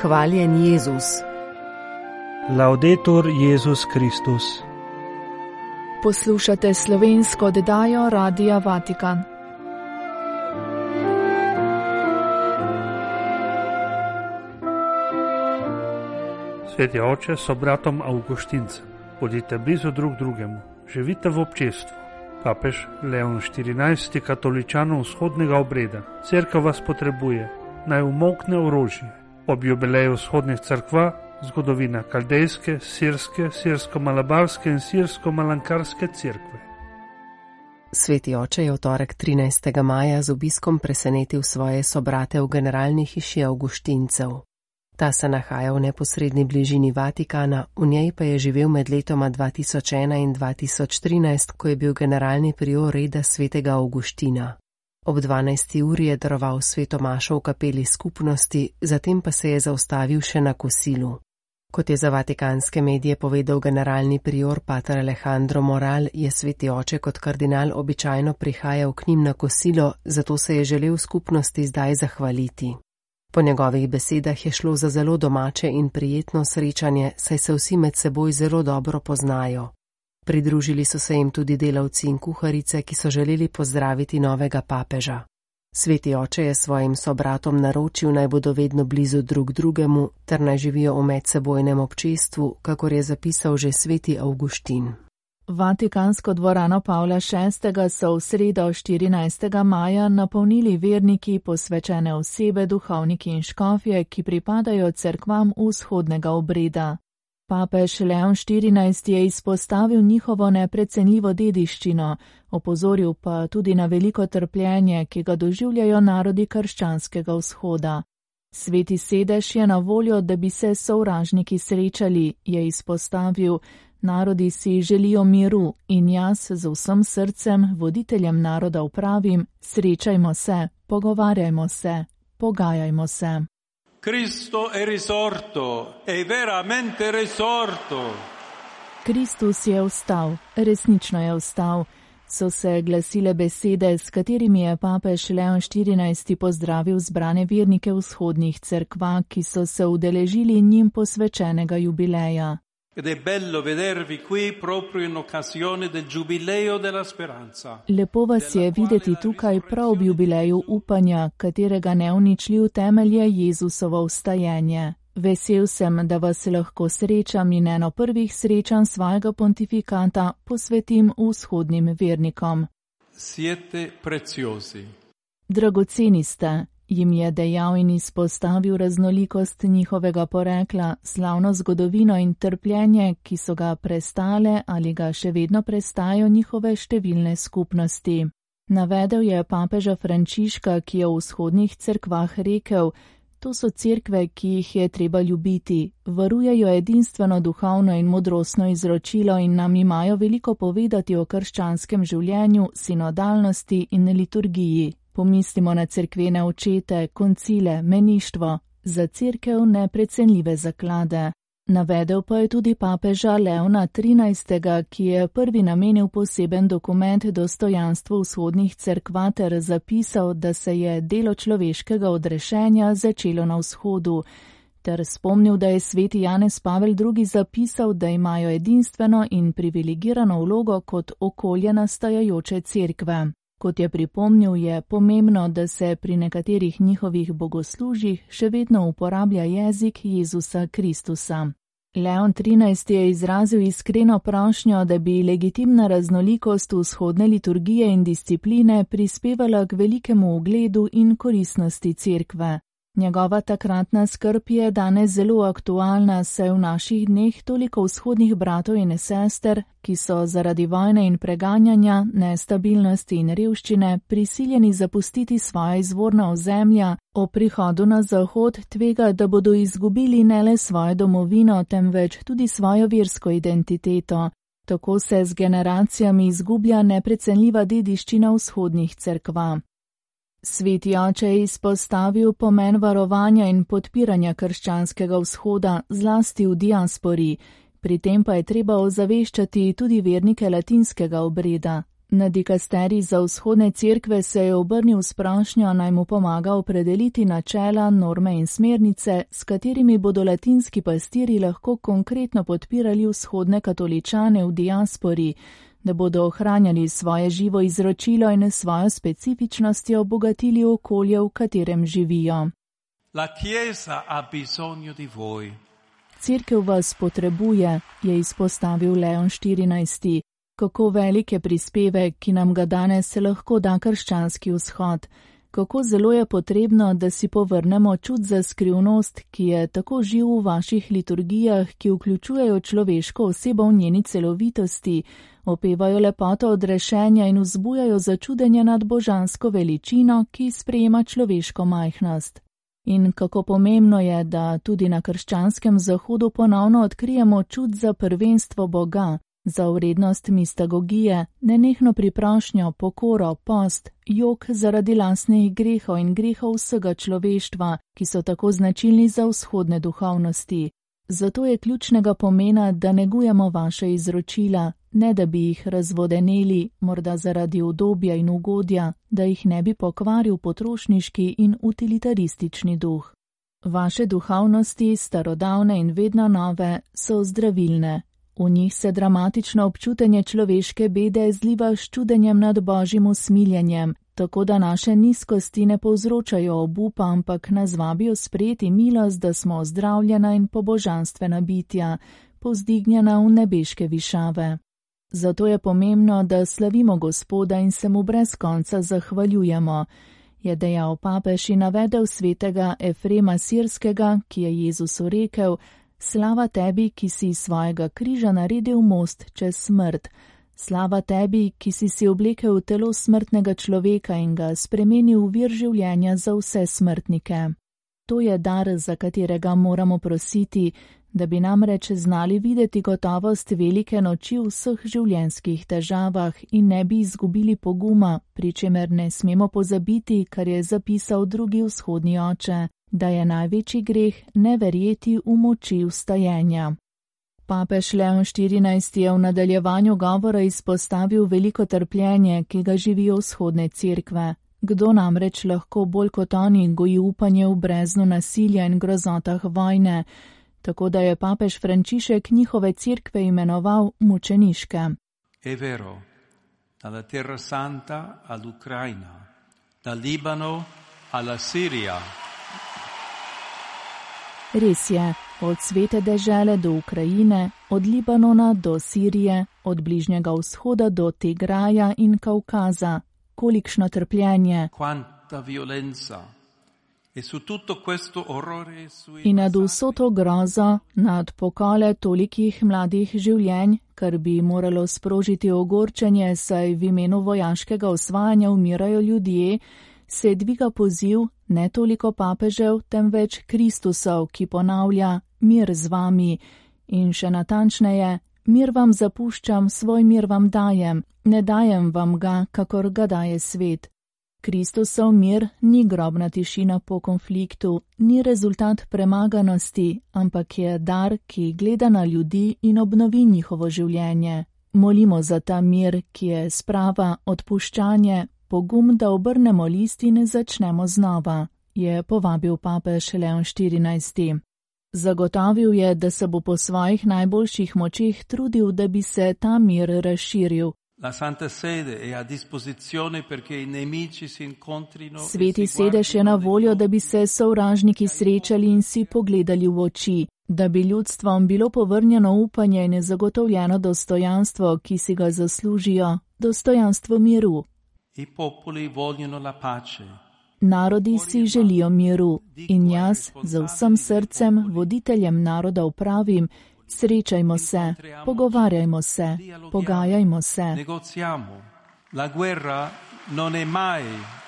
Hvaljen Jezus. Laudetur Jezus Kristus. Poslušate slovensko oddajo Radia Vatikan. Sveti oče, so bratom Avguštincem, bodite blizu drug drugemu, živite v občestvu. Papež Leon XIV. Katoličanom vzhodnega obreda. Cerkev vas potrebuje, naj umolkne orožje. Ob jubileju vzhodnih cerkva, zgodovina kaldejske, sirske, sirsko-malabarske in sirsko-malankarske cerkve. Sveti oče je v torek 13. maja z obiskom presenetil svoje sobrate v generalni hiši Avguštincev. Ta se nahaja v neposredni bližini Vatikana, v njej pa je živel med letoma 2001 in 2013, ko je bil generalni prior reda svetega Avguština. Ob 12. uri je daroval sveto mašo v kapeli skupnosti, zatem pa se je zaustavil še na kosilu. Kot je za vatikanske medije povedal generalni prior pater Alejandro Moral, je sveti oče kot kardinal običajno prihajal k njim na kosilo, zato se je želel skupnosti zdaj zahvaliti. Po njegovih besedah je šlo za zelo domače in prijetno srečanje, saj se vsi med seboj zelo dobro poznajo. Pridružili so se jim tudi delavci in kuharice, ki so želeli pozdraviti novega papeža. Sveti oče je svojim sobratom naročil, naj bodo vedno blizu drug drugemu, ter naj živijo v medsebojnem občestvu, kakor je zapisal že sveti Avguštin. Vatikansko dvorano Pavla VI. So v sredo 14. maja napolnili verniki, posvečene osebe, duhovniki in škofje, ki pripadajo cerkvam vzhodnega obreda. Papež Leon XIV. Je izpostavil njihovo neprecenljivo dediščino, opozoril pa tudi na veliko trpljenje, ki ga doživljajo narodi krščanskega vzhoda. Sveti sedež je na voljo, da bi se sovražniki srečali, je izpostavil. Narodi si želijo miru in jaz z vsem srcem voditeljem naroda pravim, srečajmo se, pogovarjajmo se, pogajajmo se. Cristo è risorto, è veramente risorto. Kristus je vstal, resnično je vstal, so se glasile besede, s katerimi je papež Leon XIV. Pozdravil zbrane vernike vzhodnih cerkva, ki so se udeležili njim posvečenega jubileja. Ed è bello vedervi qui proprio in occasione del giubileo della speranza. Lepo vas je videti tukaj prav ob jubileju upanja, katerega neuničljiv temelj je Jezusovo vstajenje. Vesel sem, da vas lahko srečam in eno prvih srečanj svojega pontifikata posvetim vzhodnim vernikom. Siete preziosi. Dragoceni ste, jim je dejal in izpostavil raznolikost njihovega porekla, slavno zgodovino in trpljenje, ki so ga prestale ali ga še vedno prestajajo njihove številne skupnosti. Navedel je papeža Frančiška, ki je v vzhodnih cerkvah rekel, to so cerkve, ki jih je treba ljubiti, varujejo edinstveno duhovno in modrostno izročilo in nam imajo veliko povedati o krščanskem življenju, sinodalnosti in liturgiji. Pomislimo na cerkvene očete, koncile, meništvo, za cerkev neprecenljive zaklade. Navedel pa je tudi papeža Leona XIII., ki je prvi namenil poseben dokument dostojanstvu vzhodnih cerkva ter zapisal, da se je delo človeškega odrešenja začelo na vzhodu, ter spomnil, da je sveti Janez Pavel II. Zapisal, da imajo edinstveno in privilegirano vlogo kot okolje nastajajoče cerkve. Kot je pripomnil, je pomembno, da se pri nekaterih njihovih bogoslužjih še vedno uporablja jezik Jezusa Kristusa. Leon XIII. Je izrazil iskreno prošnjo, da bi legitimna raznolikost vzhodne liturgije in discipline prispevala k velikemu ugledu in koristnosti cerkve. Njegova takratna skrb je danes zelo aktualna, saj v naših dneh toliko vzhodnih bratov in sester, ki so zaradi vojne in preganjanja, nestabilnosti in revščine prisiljeni zapustiti svoja izvorna ozemlja, o prihodu na zahod tvega, da bodo izgubili ne le svojo domovino, temveč tudi svojo versko identiteto. Tako se z generacijami izgublja neprecenljiva dediščina vzhodnih cerkva. Sveti oče je izpostavil pomen varovanja in podpiranja krščanskega vzhoda, zlasti v diaspori, pri tem pa je treba ozaveščati tudi vernike latinskega obreda. Na dikasterij za vzhodne cerkve se je obrnil s prošnjo, naj mu pomaga opredeliti načela, norme in smernice, s katerimi bodo latinski pastirji lahko konkretno podpirali vzhodne katoličane v diaspori, da bodo ohranjali svoje živo izročilo in svojo specifičnostjo obogatili okolje, v katerem živijo. La Chiesa ha bisogno di voi. Cerkev vas potrebuje, je izpostavil Leon XIV. Kako velik je prispevek, ki nam ga danes lahko da krščanski vzhod. Kako zelo je potrebno, da si povrnemo čut za skrivnost, ki je tako živ v vaših liturgijah, ki vključujejo človeško osebo v njeni celovitosti, opevajo lepoto odrešenja in vzbujajo začudenje nad božansko veličino, ki sprejema človeško majhnost. In kako pomembno je, da tudi na krščanskem zahodu ponovno odkrijemo čut za prvenstvo Boga, za vrednost mistagogije, nenehno priprošnjo, pokoro, post, jok zaradi lastnih grehov in grehov vsega človeštva, ki so tako značilni za vzhodne duhovnosti. Zato je ključnega pomena, da negujemo vaše izročila, ne da bi jih razvodeneli, morda zaradi udobja in ugodja, da jih ne bi pokvaril potrošniški in utilitaristični duh. Vaše duhovnosti, starodavne in vedno nove, so zdravilne. V njih se dramatično občutenje človeške bede zliva s čudenjem nad božjim usmiljenjem, tako da naše nizkosti ne povzročajo obupa, ampak nas vabijo sprejeti milost, da smo ozdravljena in pobožanstvena bitja, povzdignjena v nebeške višave. Zato je pomembno, da slavimo Gospoda in se mu brez konca zahvaljujemo, je dejal papež in navedel svetega Efrema Sirskega, ki je Jezusu rekel: Slava tebi, ki si iz svojega križa naredil most čez smrt. Slava tebi, ki si oblekel v telo smrtnega človeka in ga spremenil v vir življenja za vse smrtnike. To je dar, za katerega moramo prositi, da bi namreč znali videti gotovost velike noči v vseh življenjskih težavah in ne bi izgubili poguma, pri čemer ne smemo pozabiti, kar je zapisal drugi vzhodni oče, da je največji greh ne verjeti v moči vstajenja. Papež Leon XIV je v nadaljevanju govora izpostavil veliko trpljenje, ki ga živijo vzhodne cerkve. Kdo namreč lahko bolj kot oni goji upanje v breznu nasilja in grozotah vojne, tako da je papež Frančišek njihove cerkve imenoval mučeniške. È vero, dalla Terra Santa all'Ucraina, dal Libano alla Siria. Res je, od svete dežele do Ukrajine, od Libanona do Sirije, od Bližnjega vzhoda do Tigraja in Kaukaza. Kolikšno trpljenje! In nad vso to grozo, nad pokole tolikih mladih življenj, kar bi moralo sprožiti ogorčenje, saj v imenu vojaškega osvajanja umirajo ljudje, se dviga poziv ne toliko papežev, temveč Kristusov, ki ponavlja: mir z vami. In še natančneje: mir vam zapuščam, svoj mir vam dajem, ne dajem vam ga, kakor ga daje svet. Kristusov mir ni grobna tišina po konfliktu, ni rezultat premaganosti, ampak je dar, ki gleda na ljudi in obnovi njihovo življenje. Molimo za ta mir, ki je sprava, odpuščanje, pogum, da obrnemo list in začnemo znova, je povabil papež Leon XIV. Zagotovil je, da se bo po svojih najboljših močeh trudil, da bi se ta mir razširil. Sveti sedež je na voljo, da bi se sovražniki srečali in si pogledali v oči, da bi ljudstvom bilo povrnjeno upanje in zagotovljeno dostojanstvo, ki si ga zaslužijo, dostojanstvo miru. Narodi si želijo miru in jaz z vsem srcem voditeljem narodov pravim: srečajmo se, pogovarjajmo se, pogajajmo se.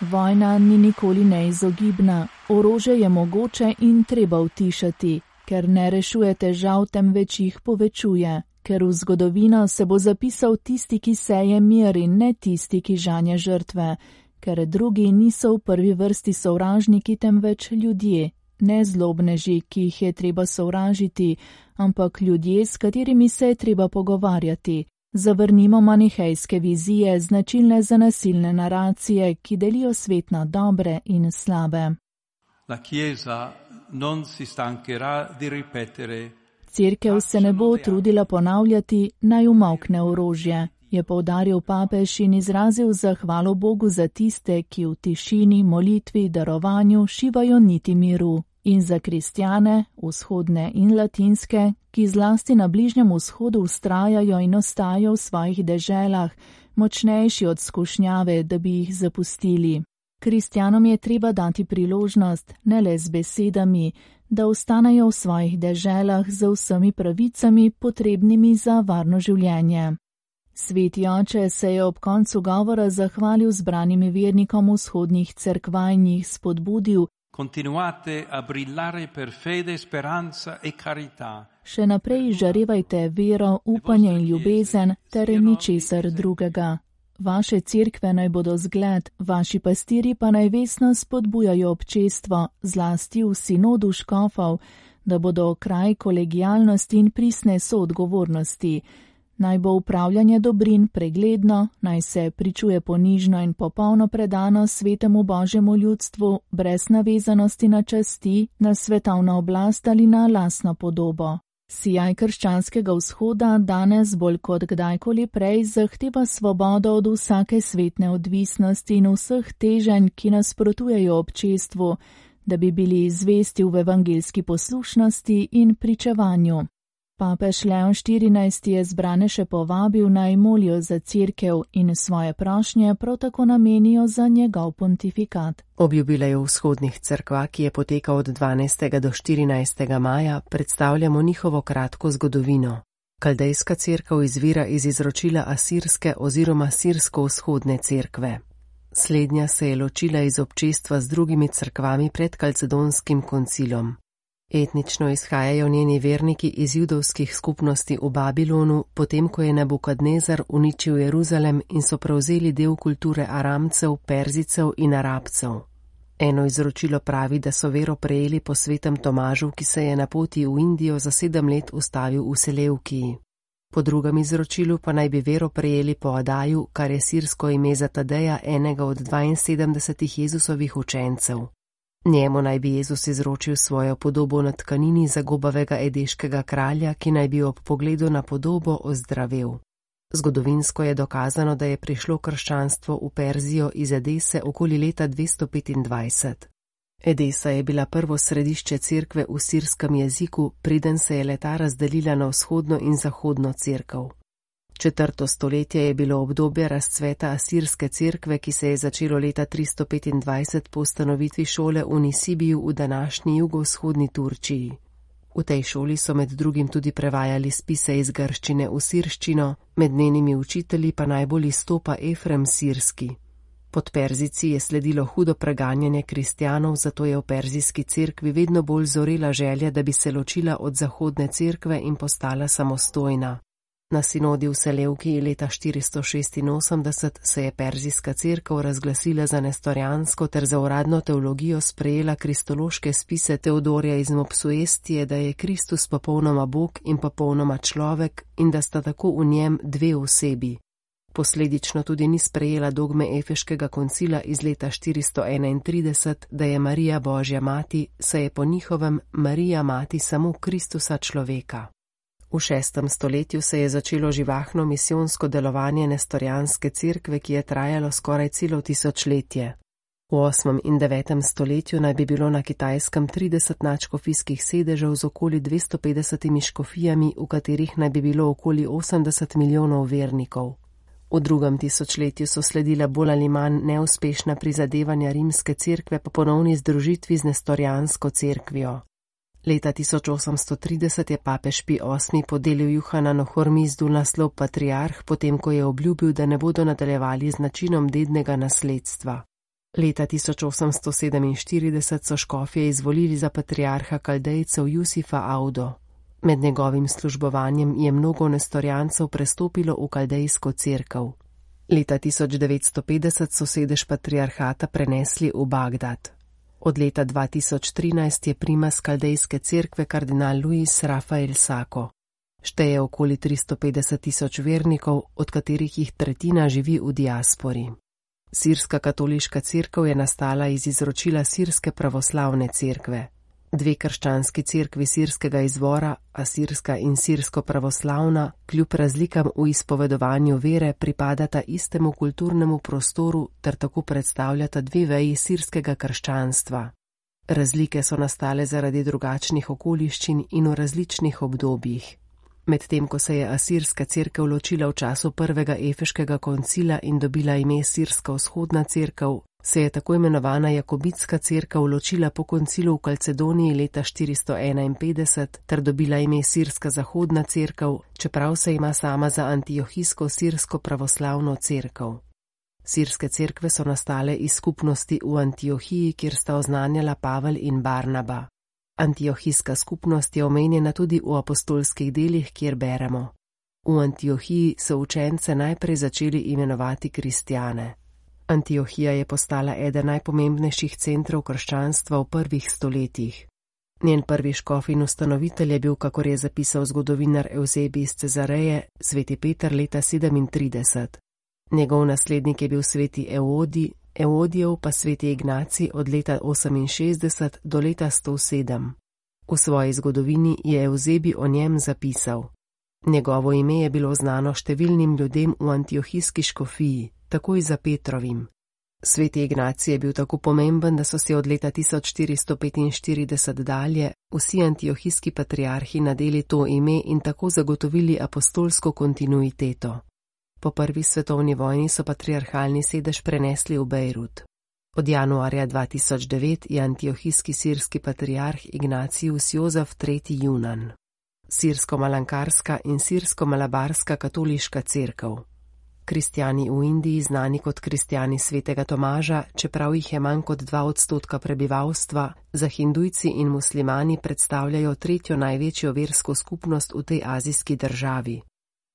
Vojna ni nikoli neizogibna, orožje je mogoče in treba utišati, ker ne rešuje težav, temveč jih povečuje, ker v zgodovino se bo zapisal tisti, ki seje mir in ne tisti, ki žanje žrtve, ker drugi niso v prvi vrsti sovražniki, temveč ljudje, ne zlobneži, ki jih je treba sovražiti, ampak ljudje, s katerimi se je treba pogovarjati, Zavrnimo manihejske vizije, značilne za nasilne naracije, ki delijo svet na dobre in slabe. La Chiesa non si stancherà di ripetere: Cerkev se ne bo trudila ponavljati, naj umolkne orožje, je poudaril papež in izrazil zahvalo Bogu za tiste, ki v tišini, molitvi, darovanju šivajo niti miru, in za kristjane, vzhodne in latinske, ki zlasti na Bližnjem vzhodu vztrajajo in ostajajo v svojih deželah, močnejši od skušnjave, da bi jih zapustili. Kristjanom je treba dati priložnost, ne le z besedami, da ostanejo v svojih deželah z vsemi pravicami, potrebnimi za varno življenje. Sveti oče se je ob koncu govora zahvalil zbranim vernikom vzhodnih cerkva in jih spodbudil: Continuate a brillare per fede, speranza e carità. Še naprej žarevajte vero, upanje in ljubezen ter ničesar drugega. Vaše cerkve naj bodo zgled, vaši pastiri pa naj vestno spodbujajo občestvo, zlasti v sinodu škofov, da bodo kraj kolegialnosti in pristne soodgovornosti. Naj bo upravljanje dobrin pregledno, naj se pričuje ponižno in popolno predano svetemu Božjemu ljudstvu, brez navezanosti na časti, na svetovno oblast ali na lastno podobo. Sijaj krščanskega vzhoda danes bolj kot kdajkoli prej zahteva svobodo od vsake svetne odvisnosti in vseh teženj, ki nasprotujejo občestvu, da bi bili zvesti v evangeljski poslušnosti in pričevanju. Papež Leon XIV je zbrane še povabil, naj molijo za cerkev in svoje prošnje prav tako namenijo za njegov pontifikat. Ob jubileju vzhodnih cerkva, ki je potekal od 12. do 14. maja, predstavljamo njihovo kratko zgodovino. Kaldejska cerkev izvira iz izročila asirske oziroma sirsko-vzhodne cerkve. Slednja se je ločila iz občestva z drugimi cerkvami pred Kalcedonskim koncilom. Etnično izhajajo njeni verniki iz judovskih skupnosti v Babilonu, potem ko je Nebukadnezar uničil Jeruzalem in so prevzeli del kulture Aramcev, Perzicev in Arabcev. Eno izročilo pravi, da so vero prejeli po svetem Tomažu, ki se je na poti v Indijo za 7 let ustavil v Seleukiji. Po drugem izročilu pa naj bi vero prejeli po Adaju, kar je sirsko ime za Tadeja, enega od 72 Jezusovih učencev. Njemu naj bi Jezus izročil svojo podobo na tkanini zagobavega edeškega kralja, ki naj bi ob pogledu na podobo ozdravel. Zgodovinsko je dokazano, da je prišlo krščanstvo v Perzijo iz Edese okoli leta 225. Edesa je bila prvo središče cerkve v sirskem jeziku, preden se je le-ta razdelila na vzhodno in zahodno cerkev. 4. stoletje je bilo obdobje razcveta asirske cerkve, ki se je začelo leta 325 po ustanovitvi šole v Nisibiju v današnji jugovzhodni Turčiji. V tej šoli so med drugim tudi prevajali spise iz grščine v sirščino, med njenimi učitelji pa najbolj izstopa Efrem Sirski. Pod Perzici je sledilo hudo preganjanje kristjanov, zato je v perzijski cerkvi vedno bolj zorela želja, da bi se ločila od zahodne cerkve in postala samostojna. Na sinodi v Selevkiji leta 486 se je perzijska cerkev razglasila za nestorjansko ter za uradno teologijo sprejela kristološke spise Teodorja iz Mopsuestije, da je Kristus popolnoma Bog in popolnoma človek in da sta tako v njem dve osebi. Posledično tudi ni sprejela dogme Efeškega koncila iz leta 431, da je Marija Božja mati, saj je po njihovem Marija mati samo Kristusa človeka. V 6. stoletju se je začelo živahno misijonsko delovanje nestorjanske cerkve, ki je trajalo skoraj celo tisočletje. V 8. in 9. stoletju naj bi bilo na Kitajskem 30 nadškofijskih sedežev z okoli 250 škofijami, v katerih naj bi bilo okoli 80 milijonov vernikov. V 2. tisočletju so sledila bolj ali manj neuspešna prizadevanja rimske cerkve po ponovni združitvi z nestorjansko cerkvijo. Leta 1830 je papež Pij VIII podelil Juhananu Hormizdu naslov patriarh, potem ko je obljubil, da ne bodo nadaljevali z načinom dednega nasledstva. Leta 1847 so škofje izvolili za patriarha Kaldejcev Jusifa Audo. Med njegovim službovanjem je mnogo nestorjancev prestopilo v kaldejsko cerkev. Leta 1950 so sedež patriarhata prenesli v Bagdad. Od leta 2013 je primas kaldejske cerkve kardinal Luis Rafael Sako. Šteje okoli 350 tisoč vernikov, od katerih jih tretjina živi v diaspori. Sirska katoliška cerkev je nastala iz izročila Sirske pravoslavne cerkve. Dve krščanski cerkvi sirskega izvora, asirska in sirsko-pravoslavna, kljub razlikam v izpovedovanju vere pripadata istemu kulturnemu prostoru ter tako predstavljata dve veji sirskega krščanstva. Razlike so nastale zaradi drugačnih okoliščin in v različnih obdobjih. Medtem ko se je asirska cerkev ločila v času prvega Efeškega koncila in dobila ime Sirska vzhodna cerkev, se je tako imenovana Jakobitska cerkev ločila po koncilu v Kalcedoniji leta 451 ter dobila ime Sirska zahodna cerkev, čeprav se ima sama za antiohijsko sirsko pravoslavno cerkev. Sirske cerkve so nastale iz skupnosti v Antiohiji, kjer sta oznanjala Pavel in Barnaba. Antiohijska skupnost je omenjena tudi v apostolskih delih, kjer beremo: v Antiohiji so učence najprej začeli imenovati kristjane. Antiohija je postala eden najpomembnejših centrov krščanstva v prvih stoletjih. Njen prvi škof in ustanovitelj je bil, kakor je zapisal zgodovinar Evzebij iz Cezareje, sveti Peter leta 37. Njegov naslednik je bil sveti Evodij, Evodijev pa sveti Ignacij od leta 68 do leta 107. V svoji zgodovini je Evzebij o njem zapisal: njegovo ime je bilo znano številnim ljudem v antiohijski škofiji, takoj za Petrovim. Sveti Ignacij je bil tako pomemben, da so si od leta 1445 dalje vsi antiohijski patriarhi nadeli to ime in tako zagotovili apostolsko kontinuiteto. Po prvi svetovni vojni so patriarhalni sedež prenesli v Bejrut. Od januarja 2009 je antiohijski sirski patriarh Ignacijus Jozef III. Junan. Sirsko-malankarska in sirsko-malabarska katoliška cerkev. Kristjani v Indiji, znani kot kristjani svetega Tomaža, čeprav jih je manj kot 2% prebivalstva, za hindujci in muslimani predstavljajo tretjo največjo versko skupnost v tej azijski državi.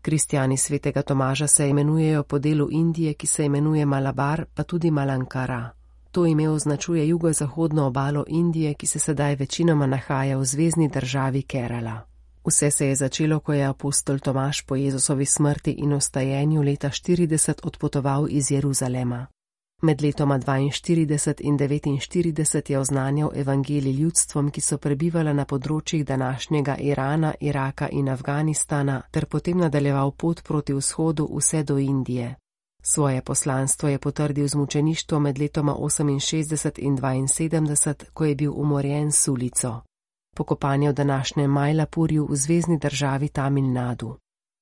Kristjani svetega Tomaža se imenujejo po delu Indije, ki se imenuje Malabar, pa tudi Malankara. To ime označuje jugozahodno obalo Indije, ki se sedaj večinoma nahaja v zvezni državi Kerala. Vse se je začelo, ko je apostol Tomaž po Jezusovi smrti in vstajenju leta 40 odpotoval iz Jeruzalema. Med letoma 42 in 49 je oznanjal evangelij ljudstvom, ki so prebivala na področjih današnjega Irana, Iraka in Afganistana, ter potem nadaljeval pot proti vzhodu vse do Indije. Svoje poslanstvo je potrdil z mučeništvo med letoma 68 in 72, ko je bil umorjen s ulico. Pokopan je v današnjem Majlapurju v zvezni državi Tamil Nadu.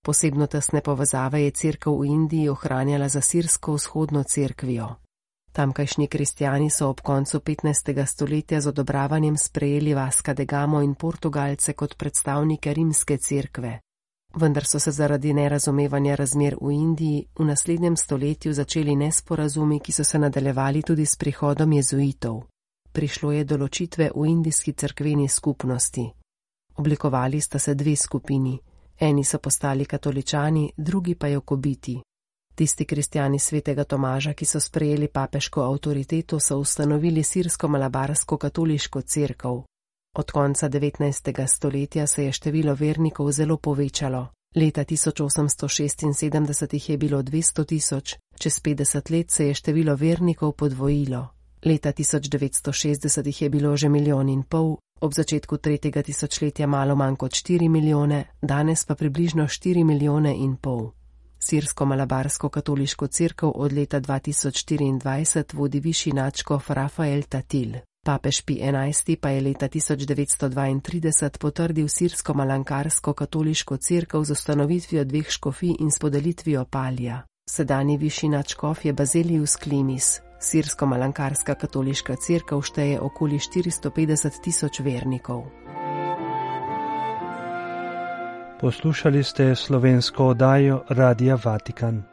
Posebno tesne povezave je cerkev v Indiji ohranjala za sirsko vzhodno cerkvijo. Tamkajšnji kristjani so ob koncu 15. stoletja z odobravanjem sprejeli Vasca da Gamo in Portugalce kot predstavnike rimske cerkve. Vendar so se zaradi nerazumevanja razmer v Indiji v naslednjem stoletju začeli nesporazumi, ki so se nadaljevali tudi s prihodom jezuitov. Prišlo je do ločitve v indijski cerkveni skupnosti. Oblikovali sta se dve skupini. Eni so postali katoličani, drugi pa jakobiti. Tisti kristjani svetega Tomaža, ki so sprejeli papeško avtoriteto, so ustanovili sirsko-malabarsko katoliško cerkev. Od konca 19. stoletja se je število vernikov zelo povečalo. Leta 1876 jih je bilo 200 tisoč, čez 50 let se je število vernikov podvojilo. Leta 1960 jih je bilo že 1,5 milijona, ob začetku 3. tisočletja malo manj kot 4 milijone, danes pa približno 4,5 milijona. Sirsko-malabarsko katoliško cerkev od leta 2024 vodi višji nadškof Rafael Tatil. Papež Pij XI pa je leta 1932 potrdil sirsko-malankarsko katoliško cerkev z ustanovitvijo 2 škofij in s podelitvijo palja. Sedanji višji nadškof je Bazilius Klimis. Sirsko-malankarska katoliška cerkev šteje okoli 450 tisoč vernikov. Poslušali ste slovensko oddajo Radia Vatikan.